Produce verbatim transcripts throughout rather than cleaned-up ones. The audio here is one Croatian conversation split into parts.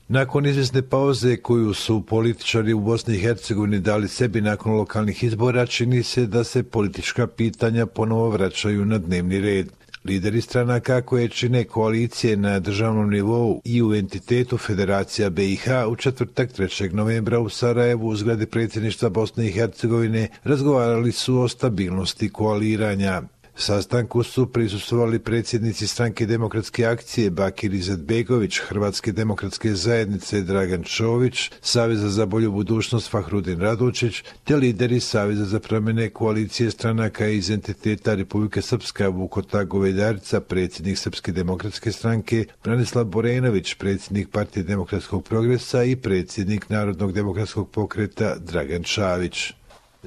Nakon izvjesne pauze koju su političari u Bosni i Hercegovini dali sebi nakon lokalnih izbora, čini se da se politička pitanja ponovo vraćaju na dnevni red. Lideri stranaka koje čine koalicije na državnom nivou i u entitetu Federacija B i H u četvrtak trećeg novembra u Sarajevu u zgradi predsjedništva Bosne i Hercegovine razgovarali su o stabilnosti koaliranja. Sastanku su prisustvovali predsjednici Stranke demokratske akcije Bakir Izetbegović, Hrvatske demokratske zajednice Dragan Čović, Saveza za bolju budućnost Fahrudin Radočić, te lideri Saveza za promjene koalicije stranaka iz entiteta Republike Srpska Vukota Govedarica, predsjednik Srpske demokratske stranke, Branislav Borenović, predsjednik Partije demokratskog progresa i predsjednik Narodnog demokratskog pokreta Dragan Čavić.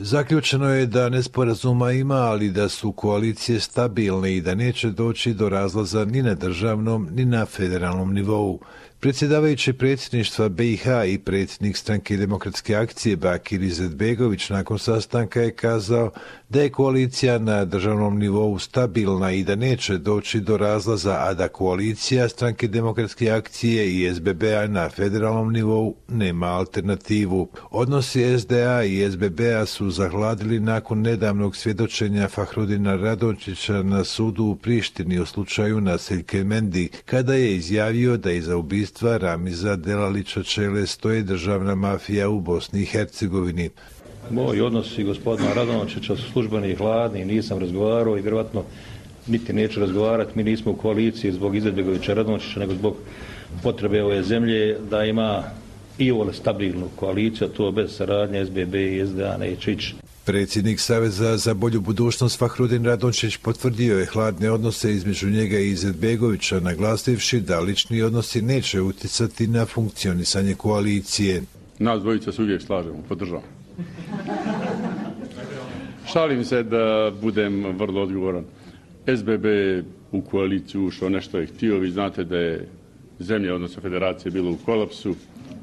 Zaključeno je da nesporazuma ima, ali da su koalicije stabilne i da neće doći do razlaza ni na državnom ni na federalnom nivou. Predsjedavajući predsjedništva B i H i predsjednik Stranke demokratske akcije Bakir Izetbegović nakon sastanka je kazao da je koalicija na državnom nivou stabilna i da neće doći do razlaza, a da koalicija Stranke demokratske akcije i S B B-a na federalnom nivou nema alternativu. Odnosi S D A i S B B-a su zahladili nakon nedavnog svjedočenja Fahrudina Radočića na sudu u Prištini u slučaju Naseljke Mendi, kada je izjavio da iza ubistva Ramiza Delalića Čele stoji državna mafija u Bosni i Hercegovini. Moji odnosi gospodina Radončića su službeni i hladni, nisam razgovarao i vjerojatno niti neću razgovarati. Mi nismo u koaliciji zbog Izetbegovića Radončića, nego zbog potrebe ove zemlje da ima i ovole stabilnu koaliciju, a to bez saradnje S B B i S D A neće ići. Predsjednik Saveza za bolju budućnost Fahrudin Radončić potvrdio je hladne odnose između njega i Izetbegovića, naglasivši da lični odnosi neće utjecati na funkcionisanje koalicije. Nas dvojica se uvijek slažemo, podržavamo. Šalim se da budem vrlo odgovoran. S B B u koaliciju ušao, nešto je htio. Vi znate da je zemlja, odnosno federacija, bila u kolapsu.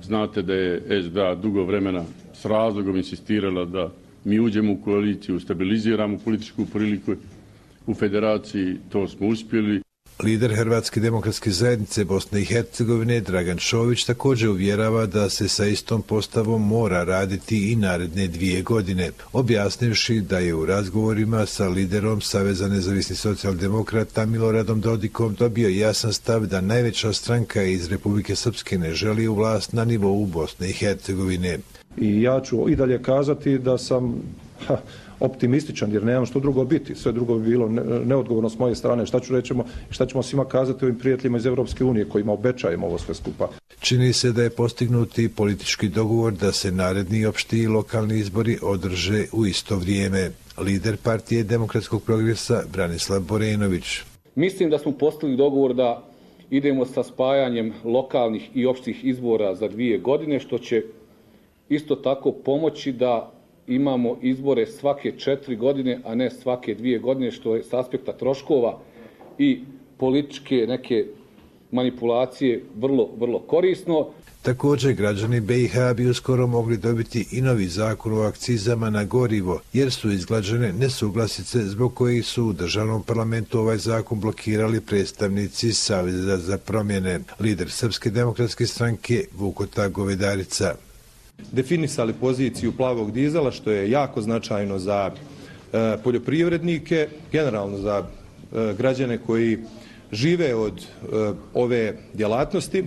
Znate da je S D A dugo vremena s razlogom insistirala da mi uđemo u koaliciju, stabiliziramo političku priliku u federaciji, to smo uspjeli. Lider Hrvatske demokratske zajednice Bosne i Hercegovine Dragan Čović također uvjerava da se sa istom postavom mora raditi i naredne dvije godine, objasnivši da je u razgovorima sa liderom Saveza nezavisnih socijaldemokrata Miloradom Dodikom dobio jasan stav da najveća stranka iz Republike Srpske ne želi u vlast na nivou Bosne i Hercegovine. I ja ću i dalje kazati da sam ha, optimističan, jer nemam što drugo biti. Sve drugo bi bilo neodgovorno s moje strane. Šta ću rećemo, šta ćemo svima kazati ovim prijateljima iz Europske unije kojima obećajemo ovo sve skupa. Čini se da je postignuti politički dogovor da se naredni opšti i lokalni izbori održe u isto vrijeme. Lider Partije demokratskog progresa Branislav Borenović. Mislim da smo postigli dogovor da idemo sa spajanjem lokalnih i opštih izbora za dvije godine, što će isto tako pomoći da imamo izbore svake četiri godine, a ne svake dvije godine, što je s aspekta troškova i političke neke manipulacije vrlo, vrlo korisno. Također, građani B i H bi uskoro mogli dobiti i novi zakon o akcizama na gorivo, jer su izglađene nesuglasice zbog kojih su u državnom parlamentu ovaj zakon blokirali predstavnici Saveza za promjene. Lider Srpske demokratske stranke Vukota Govedarica. Definisali poziciju plavog dizela, što je jako značajno za e, poljoprivrednike, generalno za e, građane koji žive od e, ove djelatnosti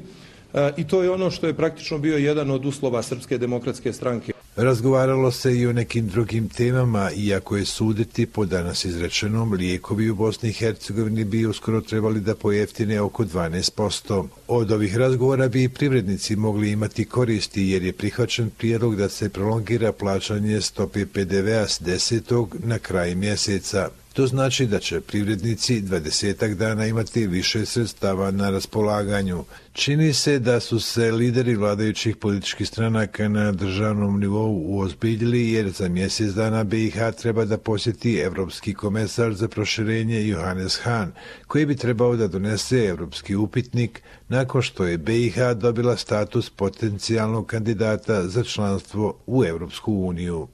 e, i to je ono što je praktično bio jedan od uslova Srpske demokratske stranke. Razgovaralo se i o nekim drugim temama, iako je suditi po danas izrečenom, lijekovi u Bosni i Hercegovini bi uskoro trebali da pojeftine oko dvanaest posto. Od ovih razgovora bi i privrednici mogli imati koristi, jer je prihvaćen prijedlog da se prolongira plaćanje stope P D V-a s desetog na kraj mjeseca. To znači da će privrednici dvadesetak dana imati više sredstava na raspolaganju. Čini se da su se lideri vladajućih političkih stranaka na državnom nivou uozbiljili, jer za mjesec dana B i H treba da posjeti Evropski komesar za proširenje Johannes Hahn, koji bi trebao da donese evropski upitnik nakon što je B i H dobila status potencijalnog kandidata za članstvo u Evropsku uniju.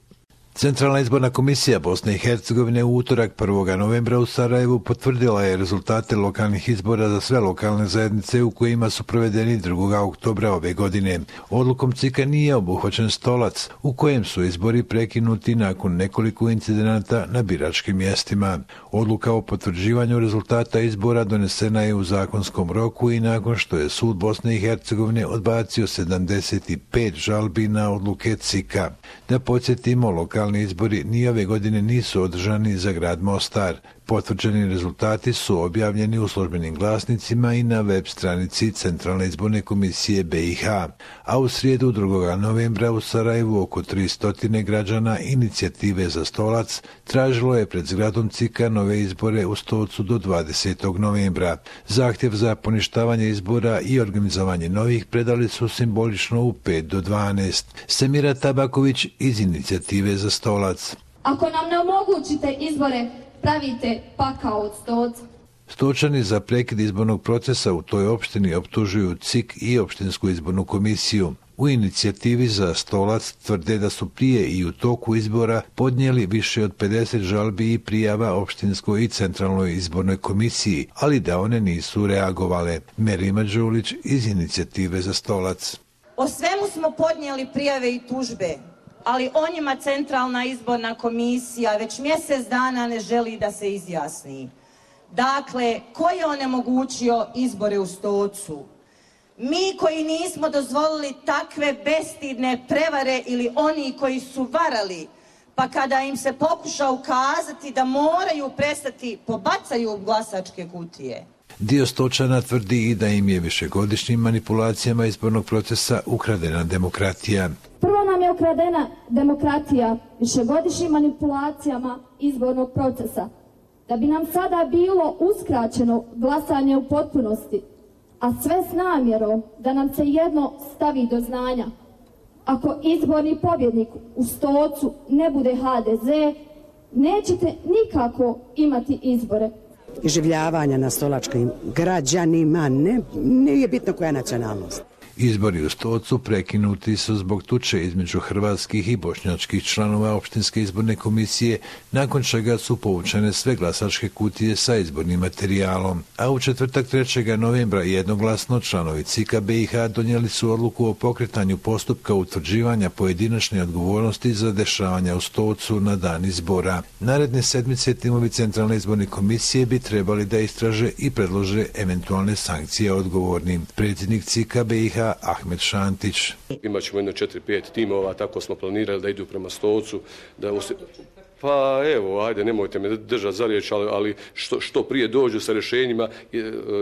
Centralna izborna komisija Bosne i Hercegovine u utorak prvog novembra u Sarajevu potvrdila je rezultate lokalnih izbora za sve lokalne zajednice u kojima su provedeni drugog oktobra ove godine. Odlukom C I K-a nije obuhvaćen Stolac, u kojem su izbori prekinuti nakon nekoliko incidenata na biračkim mjestima. Odluka o potvrđivanju rezultata izbora donesena je u zakonskom roku i nakon što je sud Bosne i Hercegovine odbacio sedamdeset pet žalbi na odluke C I K-a. Da podsjetimo, lokalni izbori ni ove godine nisu održani za grad Mostar. Potvrđeni rezultati su objavljeni u službenim glasnicima i na web stranici Centralne izborne komisije B i H. A u srijedu drugog novembra u Sarajevu oko tristo građana Inicijative za Stolac tražilo je pred zgradom C I K-a nove izbore u Stocu do dvadesetog novembra. Zahtjev za poništavanje izbora i organizovanje novih predali su simbolično u pet do dvanaest. Semira Tabaković iz Inicijative za Stolac. Ako nam ne omogućite izbore, pravite pakao od Stoca. Stočani za prekid izbornog procesa u toj opštini optužuju C I K i opštinsku izbornu komisiju. U Inicijativi za Stolac tvrde da su prije i u toku izbora podnijeli više od pedeset žalbi i prijava opštinskoj i centralnoj izbornoj komisiji, ali da one nisu reagovale. Merima Đulić iz Inicijative za Stolac. O svemu smo podnijeli prijave i tužbe, ali o njima Centralna izborna komisija već mjesec dana ne želi da se izjasni. Dakle, ko je onemogućio izbore u Stocu? Mi koji nismo dozvolili takve bestidne prevare ili oni koji su varali, pa kada im se pokuša ukazati da moraju prestati, pobacaju glasačke kutije. Dio Stočana tvrdi i da im je višegodišnjim manipulacijama izbornog procesa ukradena demokratija. Prvo nam je ukradena demokratija višegodišnjim manipulacijama izbornog procesa, da bi nam sada bilo uskraćeno glasanje u potpunosti, a sve s namjerom da nam se jedno stavi do znanja. Ako izborni pobjednik u Stocu ne bude H D Z, nećete nikako imati izbore. Iživljavanja na stolačkim građanima, ne, nije bitno koja je nacionalnost. Izbori u Stocu prekinuti su zbog tuče između hrvatskih i bošnjačkih članova opštinske izborne komisije, nakon čega su povučene sve glasačke kutije sa izbornim materijalom. A u četvrtak trećeg novembra jednoglasno članovi C I K-a B i H donijeli su odluku o pokretanju postupka utvrđivanja pojedinačne odgovornosti za dešavanja u Stocu na dan izbora. Naredne sedmice timovi Centralne izborne komisije bi trebali da istraže i predlože eventualne sankcije odgovornim. Predsjednik C I K-a B i H Ahmed Šantić. Imaćemo jedno četiri pet timova, tako smo planirali da idu prema Stocu. Da us... Pa evo, ajde, nemojte me držati za riječ, ali, ali što, što prije dođu sa rješenjima i,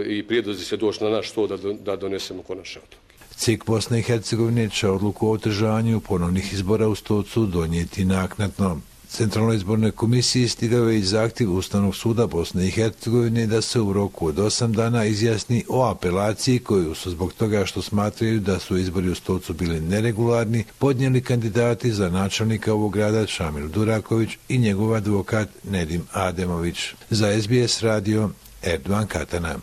i prijedlozi se doći na naš stol da, da donesemo konačne odluke. C I K Bosne i Hercegovine će odluku o održavanju ponovnih izbora u Stocu donijeti naknadno. Centralnoj izbornoj komisiji stigao je i zahtjev Ustavnog suda Bosne i Hercegovine da se u roku od osam dana izjasni o apelaciji koju su zbog toga što smatraju da su izbori u Stocu bili neregularni podnijeli kandidati za načelnika ovog grada Šamil Duraković i njegov advokat Nedim Ademović. Za S B S radio Erdogan Katana.